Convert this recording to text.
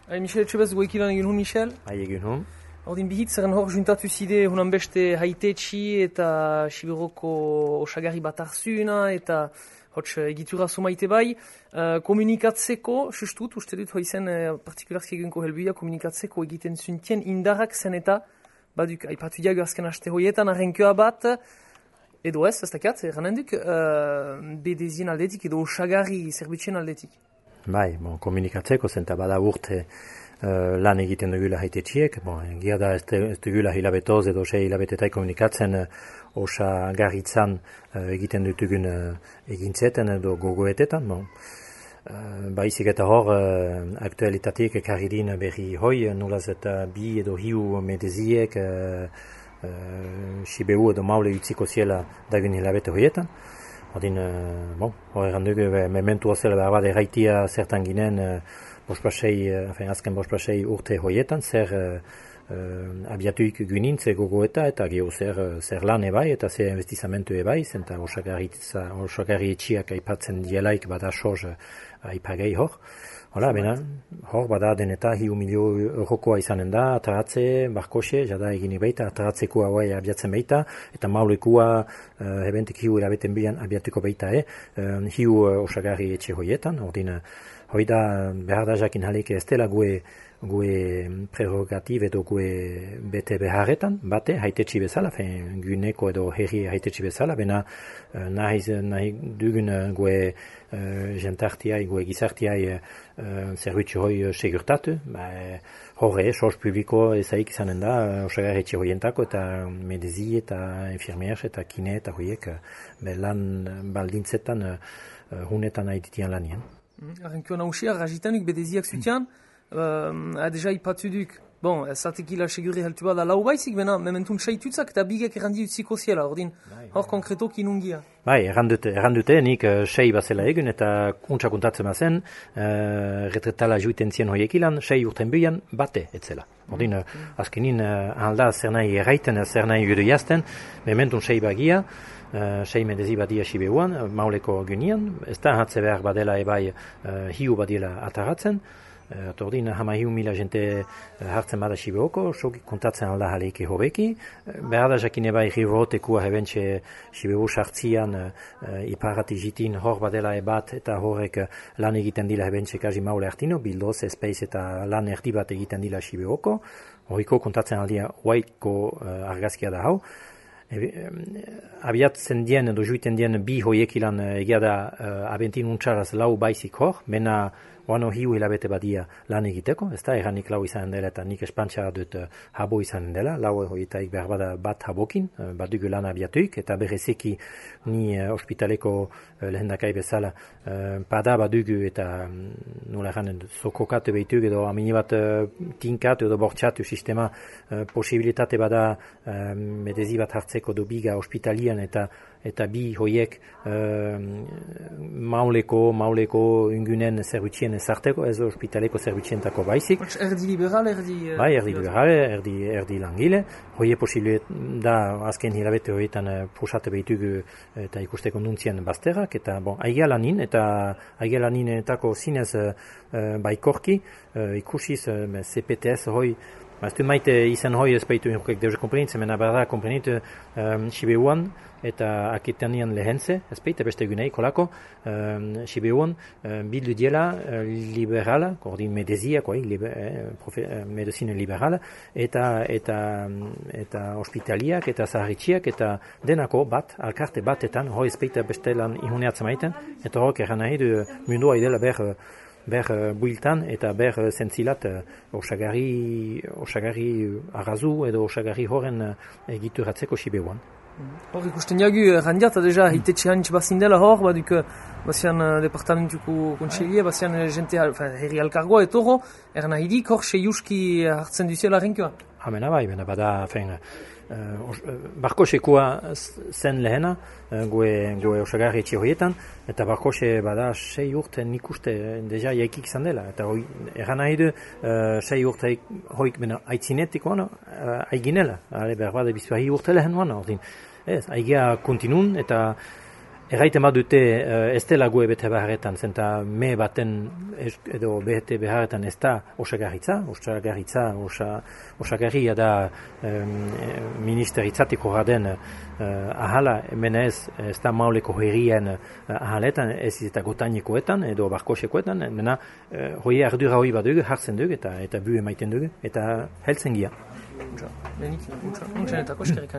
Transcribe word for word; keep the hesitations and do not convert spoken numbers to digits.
Hai, Michel Etxebez, goekilan egin hun, Michel? Hai, egin hun. Ordin bihitzaren hor juntatu zide hunan beste haitetxi eta Siberoko osagarri bat arzuna eta hots egitura somaite bai. Uh, komunikatzeko, sustut, uste dut hoizen uh, partikularski eginko helbuia, komunikatzeko egiten zuntien indarrak zen eta baduk, aipatu diago azken aste hoietan, arrenkoa bat, edo ez, ez dakiat, eranen duk, uh, bedezien aldetik edo osagarri zerbitzien aldetik. Bai, bon, komunikatzeko zen eta bada urte uh, lan egiten dugula haitetxiek, bon, egia da ez, ez dugula hilabetoz edo sei hilabetetai komunikatzen uh, osagarritzan uh, egiten dutugun uh, egintzeten edo gogoetetan, bon. Uh, baizik eta hor uh, aktualitateek ekarri din berri hoi, nolaz eta bi edo hiu medeziek uh, uh, Siberu edo maule utziko ziela dagun hilabete hoietan. Ordin, uh, bon, hor eran dugu, mementu hozela behar bat erraitia zertan ginen uh, bospasei, uh, azken bospasei urte hoietan, zer uh, uh, abiatuik günintze gogoeta eta geho zer, uh, zer lan ebai eta zer investizamentu ebai, zenta osagarri etxiak aipatzen dielaik bada soz uh, aipagei hor. Hola, bena, hor bada deneta hiu milio eurokoa izanen da, ataratze, barkoxe, jada egini baita, ataratzeko hauai abiatzen baita, eta maulekua uh, ebentek hiu erabeten bilan abiatuko baita, eh? uh, hiu uh, osagarri etxe hoietan, ordin, hoi da behar da jakin haleke ez dela gue, gue prerogativ edo gue bete beharretan, bate, haitetxi bezala, fein, guneko edo herri haitetxi bezala, bena uh, nahi, nahi dugun uh, gue uh, jentartiai, gue gizartiai uh, zerbitzu hoi uh, segurtatu, ba, horre, sos publiko ezaik izanen da, uh, osagarri etxe hoientako, eta medezi eta infirmiers eta kine eta hoiek uh, lan baldintzetan uh, uh, hunetan nahi ditian lanien. Arrenkio nausia, rajitanik bedeziak zutian, uh, deja ipatu duk, bon, zatekila seguri heltu bada lau baizik, bena, mementun saitutzak eta bigek errandi utziko ziela, ordin, hor konkretok inungia. Bai, errandute, errandute, nik uh, sei bazela egun eta kuntsa kuntatzen bazen, uh, retretala juiten zien hoiek ilan, sei urten bian, bate etzela. Ordin, uh, azkenin, uh, alda zer nahi erraiten, zer nahi judu jazten, mementun sei bagia, Uh, sei medezi badia Sibeuan, uh, mauleko gynian, ez da hatze behar badela ebai uh, hiu badiela ataratzen, uh, tordin hama hiu mila jente uh, hartzen bada Sibeoko, sok kontatzen alda haleike hobeki, uh, behar da jakin ebai rivotekua hebentxe Sibeu sartzian uh, uh, iparati jitin hor badela ebat eta horrek uh, lan egiten dila hebentxe kaji maule hartino, bildoz, espeiz eta lan erdi bat egiten dila Sibeoko, horiko kontatzen aldia huaiko uh, argazkia da hau. E, abiatzen dien edo juiten dien bi hoiek ilan egia da uh, abentin untxaraz lau baizik hor, mena oano hiu hilabete badia lan egiteko, ez da, erranik lau izanen dela eta nik espantxa dut uh, habo izanen dela, lau hoietaik behar bada bat habokin, uh, bat dugu lan abiatuik, eta berezeki ni uh, ospitaleko uh, lehendakai bezala uh, pada bat dugu eta um, nola erranen zokokatu behituk edo amini bat uh, tinkatu edo bortxatu sistema uh, posibilitate bada uh, medezi bat hartzeko do biga ospitalian eta eta bi hoiek uh, mauleko, mauleko ungunen zerbitzien ezarteko, ez ospitaleko zerbitzientako baizik. Erdi liberal, erdi... Uh, bai, erdi liberal, erdi, erdi langile. Hoie posible da azken hilabete hoietan uh, pusate behitugu eta ikusteko nuntzien bazterak, eta bon, aigia lanin, eta aigia laninetako zinez uh, uh, baikorki, uh, ikusiz uh, C P T S hoi. Ez du maite izan hoi ez baitu inrukek deuze komprenitzen, mena berda komprenitu um, Sibeuan eta akitanian lehentze, ez baita beste egunei kolako, um, Sibeuan um, bildu diela uh, liberala, ordin medeziak, oi, liber, eh, profe, uh, medizine liberala, eta, eta, eta hospitaliak, eta zaharritxiak, eta denako bat, alkarte batetan, hoi ez baita beste lan ihuneatzen maiten, eta horrek erran nahi du mundua idela ber ber uh, builtan eta ber uh, zentzilat uh, osagarri, osagarri arrazu edo osagarri horren uh, egituratzeko Sibeuan. Hor ikusten jagu, randiat, deja, hitetxe hantz bazindela hor, baduk, bazian uh, departamentuko kontxelie, bazian uh, jente, herri alkargoa etoro, erna hidik hor seiuski hartzen duzela renkioa. Hamena bai, bena bada, fein, Uh, barkosekoa zen lehena, uh, goe, goe osagarri etxe horietan, eta barkose bada sei urte nik uste deja jaikik izan dela, eta hoi, erran nahi du uh, sei urte hoik bena aitzinetik wana, uh, aiginela, behar bada bizpahi urte lehen wana, ordin, ez, aigia kontinun, eta Erraiten bat dute uh, ez dela gue bete beharretan, zenta me baten es, edo bete beharretan ez da osagarritza, osagarritza, osa, osagarria da um, ministeritzatiko gaden uh, ahala, hemen ez, ez da mauleko herrien uh, ahaletan, ez eta gotanikoetan edo barkosekoetan, mena uh, hoi ardura hoi bat dugu, hartzen dugu eta eta bu emaiten dugu, eta heltzen gia. Untsa, benik, untsa, untsa netako eskerrik.